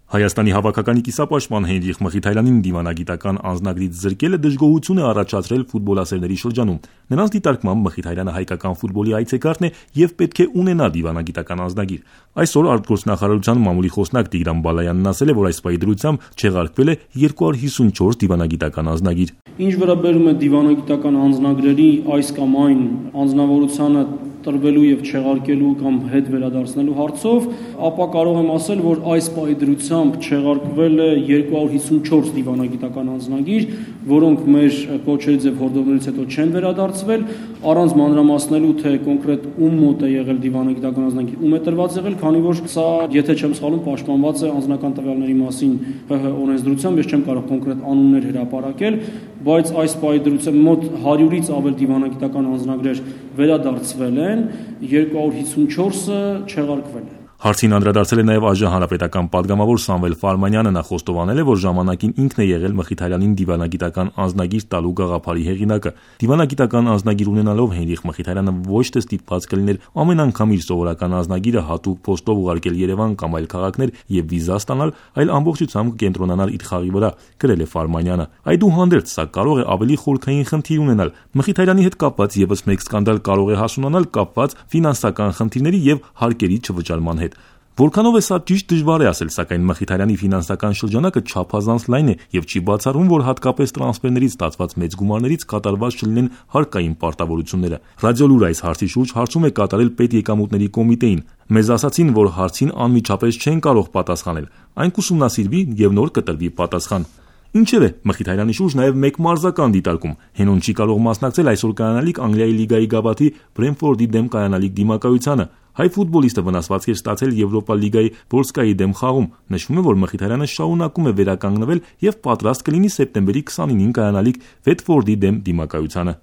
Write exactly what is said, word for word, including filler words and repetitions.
Հայաստանի հավաքականի կիսապաշտպան Հենրիխ Մխիթարյանին դիվանագիտական անձնագրից զրկելը դժգոհություն է առաջացրել ֆուտբոլասերների շրջանում։ Նրանց դիտարկմամբ Մխիթարյանը հայկական ֆուտբոլի այցեքարտն է եւ պետք է ունենա դիվանագիտական անձնագիր։ Այսօր արտգործնախարարության մամուլի խոսնակ Տիգրան Բալայանն ասել է, որ այս պահի դրությամբ չեղարկվել է երկու հարյուր հիսունչորս դիվանագիտական անձնագիր։ Ինչ վերաբերում է դիվանագիտական անձնագրերի այս կամ այն անձնավորությանը տրվելու եւ չեղարկելու կամ հետ վերադարձնելու հարցով, ապա կարող եմ ասել, որ այս պահի դրությամբ չեղարկվել է երկու հարյուր հիսունչորս դիվանագիտական անձնագիր, որոնք մեր կոչերից եւ հորդորներից հետո չեն վերադարձվել, առանց մանրամասնելու, թե կոնկրետ ում մոտ է եղել դիվանագիտական անձնագիր, ում է տրված եղել, քանի որ սա, եթե չեմ սխալվում, պաշտպանված է անձնական տվյալների մասին ՀՀ օրենսդրությամբ, ես չեմ կարող կոնկրետ անուններ հրապարակել, բայց այս պահի դրությամբ մոտ հարյուրից ավել դիվանագիտական անձնագրեր վերադարձվել են, երկու հարյուր հիսունչորսը չեղարկվել է։ Հարցին անդրադարձել է նաև ԱԺ հանրապետական պատգամավոր Սամվել Ֆարմանյանը, նա խոստովանել է, որ ժամանակին ինքն է եղել Մխիթարյանին դիվանագիտական անձնագիր տալու գաղափարի հեղինակը։ Դիվանագիտական անձնագիր ունենալով Հենրիխ Մխիթարյանը ոչ թե ստիպված կլիներ ամեն անգամ իր սովորական անձնագիրը հատուկ փոստով ուղարկել Երևան կամ այլ քաղաքներ եւ վիզա ստանալ, այլ ամբողջությամբ կենտրոնանալ իր խաղի վրա, գրել է Ֆարմանյանը։ Այդուհանդերձ սա կարող է ավելի խորքային խնդիր ունենալ։ Մխիթարյանի հետ կապված եւս մեկ սկանդալ կարող է հասունանալ կապված ֆինանսական խնդիրների եւ հարկերի չվճարման հետ։ Որքանով է սա ճիշտ, դժվար է ասել, սակայն Մխիթարյանի ֆինանսական շրջանակը չափազանց լայն է եւ չի բացառվում, որ հատկապես տրանսֆերներից ստացված մեծ գումարներից կատարված չլինեն հարկային պարտավորությունները։ Ռադիոլուր այս հարցի շուրջ հարցում է կատարել պետեկամուտների կոմիտեին։ Մեզ ասացին, որ հարցին անմիջապես չեն կարող պատասխանել։ Այն կուսումնասիրվի եւ նոր կտրվի պատասխան։ Ինչևէ, Մխիթարյանի շուրջ նաև մեկ մարզական դիտարկում։ Հենոն չի կարող մասնակցել այսօր կայանալիք Անգլիայի լիգայի գավաթի Բրենֆորդի դեմ կայանալիք դիմակայությանը։ Հայ ֆուտբոլիստը վնասվածք էր ստացել Եվրոպա լիգայի Բոլսկայի դեմ խաղում։ Նշվում է, որ Մխիթարյանը շարունակում է վերականգնվել եւ պատրաստ կլինի սեպտեմբերի քսանինին կայանալիք Վետֆորդի դեմ դիմակայությանը։